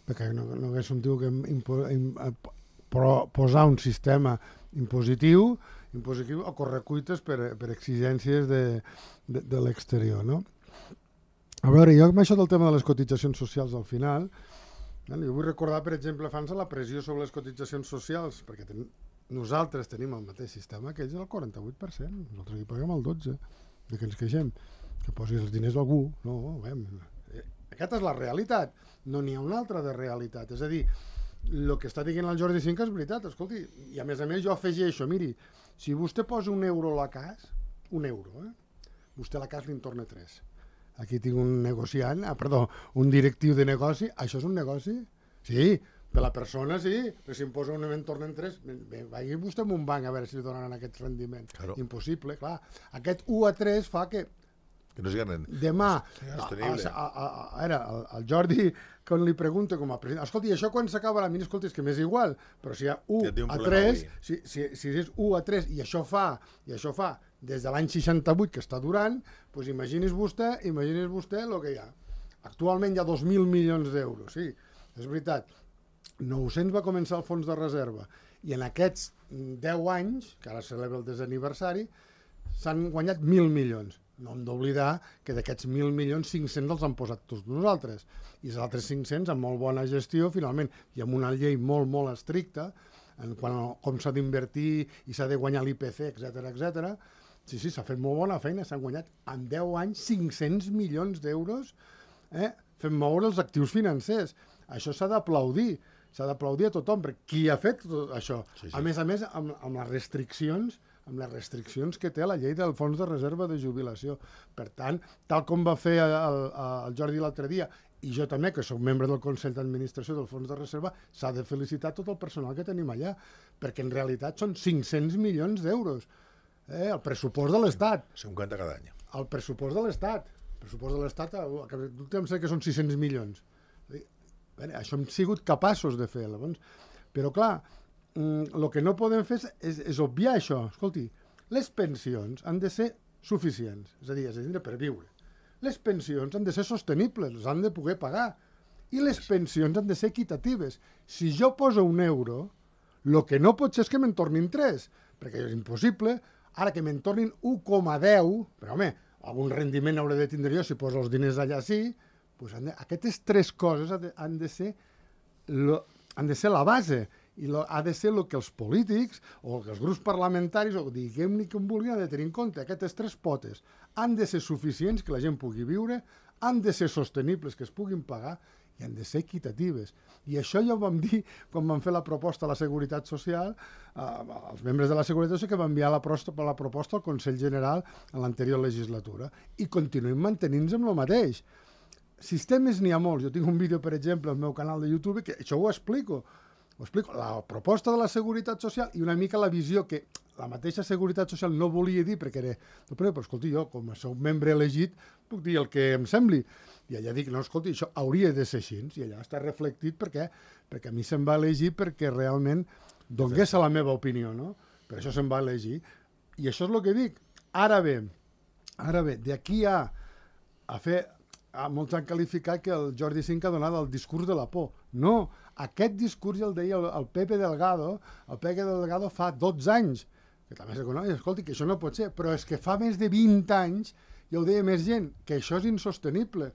perquè no hagués un tio que posar un sistema impositiu a correcuites per exigències de l'exterior, no? A veure, jo amb això del tema de les cotitzacions socials al final, jo vull recordar, per exemple, abans la pressió sobre les cotitzacions socials, perquè nosaltres tenim el mateix sistema que ells, el 48%, nosaltres hi paguem el 12%, de que ens queixem, que posi els diners a algú, no, aquesta és la realitat, no n'hi ha una altra de realitat, és a dir, el que està dient el Jordi Cinca és veritat, escolti, i a més jo afegeixo, miri, si vostè posa €1 a la cas, vostè a la cas li'n torna 3. Aquí tinc un negociant, un directiu de negoci, això és un negoci? Sí, per la persona sí, però si em posa un en tornen 3, vagi vostè a un banc a veure si li donaran aquest rendiment.
Claro.
Impossible, clar. Aquest 1 a 3 fa que
no sigui
demà, el Jordi, quan li pregunta com a president, escolti, això quan s'acaba la mina, escolti, és que m'és igual, però si hi ha 1 a 3, si és 1 a 3 i això fa des de l'any 68 que està durant, doncs imagini's vostè el que hi ha. Actualment hi ha 2.000 milions d'euros, sí, és veritat. 900 va començar el fons de reserva i en aquests 10 anys, que ara celebra el 10è aniversari, s'han guanyat 1.000 milions. No hem d'oblidar que d'aquests 1.000 milions, 500 els han posat tots nosaltres. I els altres 500 amb molt bona gestió, finalment, i amb una llei molt, molt estricta, en quant a com s'ha d'invertir i s'ha de guanyar l'IPC, etc. Sí, s'ha fet molt bona feina, s'han guanyat en 10 anys 500 milions d'euros fent moure els actius financers. Això s'ha d'aplaudir a tothom, perquè qui ha fet tot això? Sí. A més, amb les restriccions que té la llei del fons de reserva de jubilació. Per tant, tal com va fer el Jordi l'altre dia, i jo també, que soc membre del Consell d'Administració del Fons de Reserva, s'ha de felicitar tot el personal que tenim allà, perquè en realitat són 500 milions d'euros. El pressupost de l'Estat.
50 cada any.
El pressupost de l'Estat. El pressupost de l'Estat, em sembla que són 600 milions. Això hem sigut capaços de fer. Però, clar, el que no podem fer és obviar això. Escolti, les pensions han de ser suficients, és a dir, per viure. Les pensions han de ser sostenibles, les han de poder pagar. I les pensions han de ser equitatives. Si jo poso €1, el que no pot ser és que me'n tornin 3, perquè és impossible. Ara que me'n tornin 1,10, però home, algun rendiment hauré de tindre jo si poso els diners allà sí, doncs aquestes 3 coses han de ser la base. I ha de ser el que els polítics o que els grups parlamentaris, o diguem-ne com vulguin, han de tenir en compte. Aquestes 3 potes han de ser suficients, que la gent pugui viure, han de ser sostenibles, que es puguin pagar, i han de ser equitatives. I això ja ho vam dir quan vam fer la proposta a la Seguretat Social, els membres de la Seguretat Social, que van enviar la proposta al Consell General en l'anterior legislatura. I continuem mantenint-nos amb el mateix. Sistemes n'hi ha molts. Jo tinc un vídeo, per exemple, al meu canal de YouTube, que això ho explico. La proposta de la Seguretat Social i una mica la visió que la mateixa Seguretat Social no volia dir, perquè era, però escolti, jo, com a soc membre elegit, puc dir el que em sembli. I allà dic, no, escolti, això hauria de ser així. I allà està reflectit perquè a mi se'm va elegir perquè realment donés la meva opinió, no? Per això se'm va elegir. I això és el que dic. Ara bé, d'aquí a fer... Molts han qualificat que el Jordi Cinca ha donat el discurs de la por. No, aquest discurs ja el deia el Pepe Delgado. El Pepe Delgado fa 12 anys, que també s'econòmic, escolti, que això no pot ser, però és que fa més de 20 anys, ja ho deia més gent, que això és insostenible.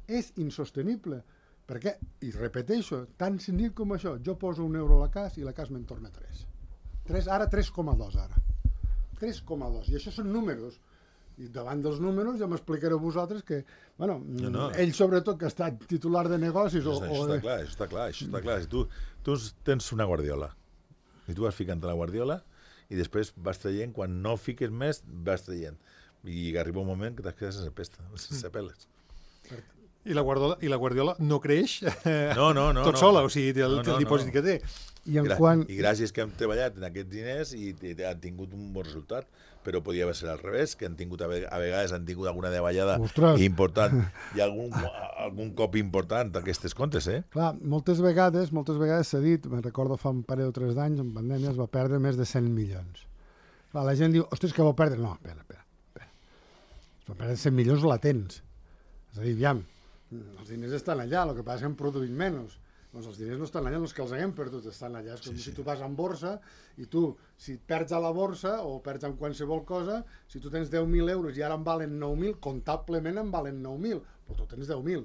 És insostenible. Per què? I repeteixo, tan senzill com això, jo poso €1 a la CAS i la CAS me'n torna 3. Ara 3,2 ara. 3,2. I això són números. I davant dels números ja m'explicareu vosaltres que, bueno, ell sobretot que ha estat titular de negocis...
Això està clar. Si tu tens una guardiola i tu vas ficant a la guardiola i després vas traient, quan no fiques més, vas traient. I arriba un moment que t'has quedat sense pesta, sense peles.
I la Guardiola no creix
tot
sola, o sigui, té el dipòsit que té.
I gràcies que hem treballat en aquests diners i han tingut un bon resultat, però podia ser al revés, que a vegades han tingut alguna davallada important i algun cop important d'aquestes comptes, eh?
Clar, moltes vegades s'ha dit, me'n recordo fa un parell o 3 d'anys, en pandèmia es va perdre més de 100 milions. Clar, la gent diu, ostres, que va perdre? No, espera. Es va perdre 100 milions latents. És a dir, aviam, els diners estan allà, el que passa és que hem produït menys. Doncs els diners no estan allà, els que els haguem perdut estan allà. És com si tu vas en borsa i tu, si perds a la borsa o perds en qualsevol cosa, si tu tens 10.000 euros i ara en valen 9.000, comptablement en valen 9.000, però tu tens 10.000.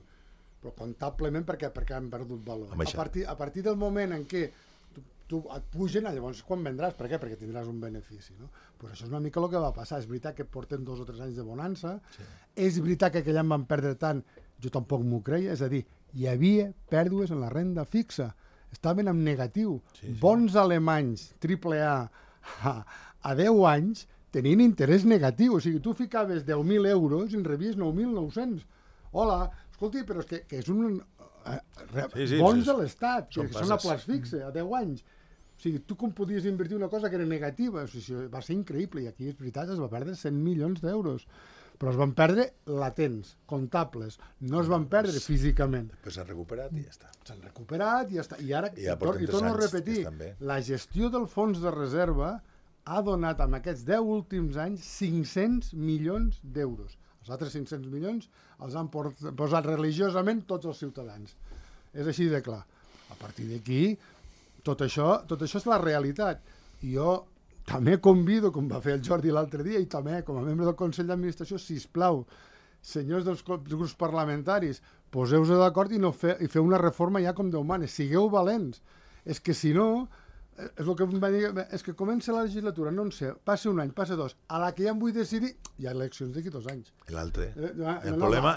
Però comptablement perquè han perdut valor. A partir del moment en què tu et pugen, llavors quan vendràs? Per què? Perquè tindràs un benefici. Pues això és una mica el que va passar. És veritat que portem 2 o 3 anys de bonança. És veritat que aquell any van perdre tant, jo tampoc m'ho creia, és a dir, hi havia pèrdues en la renda fixa, estaven en negatiu. Bons alemanys, AAA, a 10 anys tenien interès negatiu, o sigui, tu ficaves 10.000 euros i en rebies 9.900. Hola, escolti, però és que és un... Bons de l'Estat, que són a plaç fixe, a 10 anys. O sigui, tu com podies invertir una cosa que era negativa? O sigui, va ser increïble, i aquí, és veritat, es va perdre 100 milions d'euros. Però es van perdre latents, comptables, no es van perdre físicament.
Però s'han recuperat i ja està.
S'han recuperat i ja està. I ara, i torno a repetir, la gestió del fons de reserva ha donat en aquests 10 últims anys 500 milions d'euros. Els altres 500 milions els han posat religiosament tots els ciutadans. És així de clar. A partir d'aquí, tot això és la realitat. I jo també convido, com va fer el Jordi l'altre dia, i també com a membre del Consell d'Administració, sisplau, senyors dels grups parlamentaris, poseu-vos d'acord i feu una reforma ja com Déu mana. Sigueu valents. És que si no, és el que em va dir, és que comença la legislatura, no en sé, passa un any, passa 2, a la que ja em vull decidir, hi ha eleccions d'aquí 2 anys.
L'altre. El problema,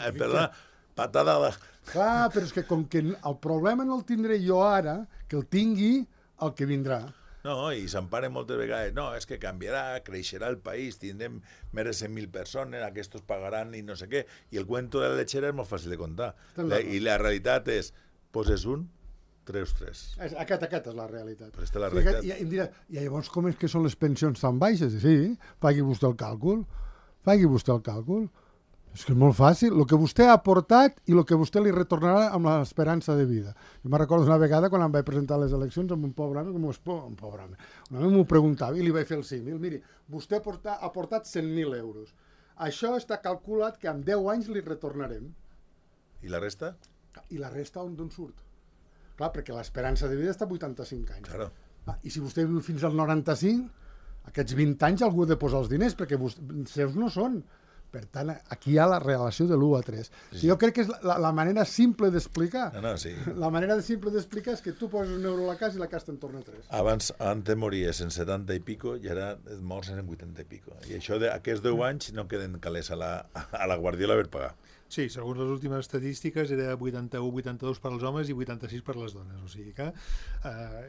patada...
Clar, però és que com que el problema no el tindré jo ara, que el tingui el que vindrà.
No, i s'emparen moltes vegades. No, és que canviarà, creixerà el país, tindrem més de 100.000 persones, aquests pagaran i no sé què. I el cuento de la lechera és molt fàcil de contar. I la realitat és, poses un, treus tres.
Aquest és la realitat.
Però aquesta és la realitat.
I em dirà, i llavors com és que són les pensions tan baixes? Sí, pagui vostè el càlcul. És que és molt fàcil. El que vostè ha aportat i el que vostè li retornarà amb l'esperança de vida. Jo me'n recordo una vegada quan em vaig presentar a les eleccions amb un pobre home, un home m'ho preguntava i li vaig fer el símil. Miri, vostè ha aportat 100.000 euros. Això està calculat que en 10 anys li retornarem.
I la resta?
I la resta d'on surt? Clar, perquè l'esperança de vida està a 85 anys.
Claro.
I si vostè viu fins al 95, aquests 20 anys algú ha de posar els diners, perquè seus no són. Per tant, aquí hi ha la relació de l'1 a 3. Sí. Jo crec que és la manera simple d'explicar.
Sí.
La manera simple d'explicar és que tu poses un euro a la casa i la casa te'n torna 3.
Abans mories en 70 i pico i ara mors en 80 i pico. I això d'aquests 10 anys no queden calés a la Guardiola per pagar.
Sí, segons les últimes estadístiques era 81-82 per als homes i 86 per les dones. O sigui que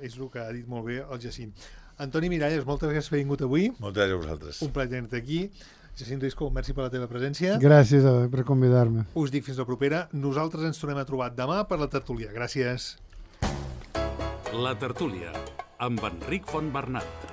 és el que ha dit molt bé el Jacint. Antoni Miralles, moltes gràcies per haver vingut avui.
Moltes gràcies a vosaltres.
Un plaer tenir-te aquí. Jacint Risco, merci per la teva presència.
Gràcies per convidar-me.
Us dic fins la propera. Nosaltres ens tornem a trobar demà per la tertúlia. Gràcies.
La tertúlia, amb Enric Fontbernat.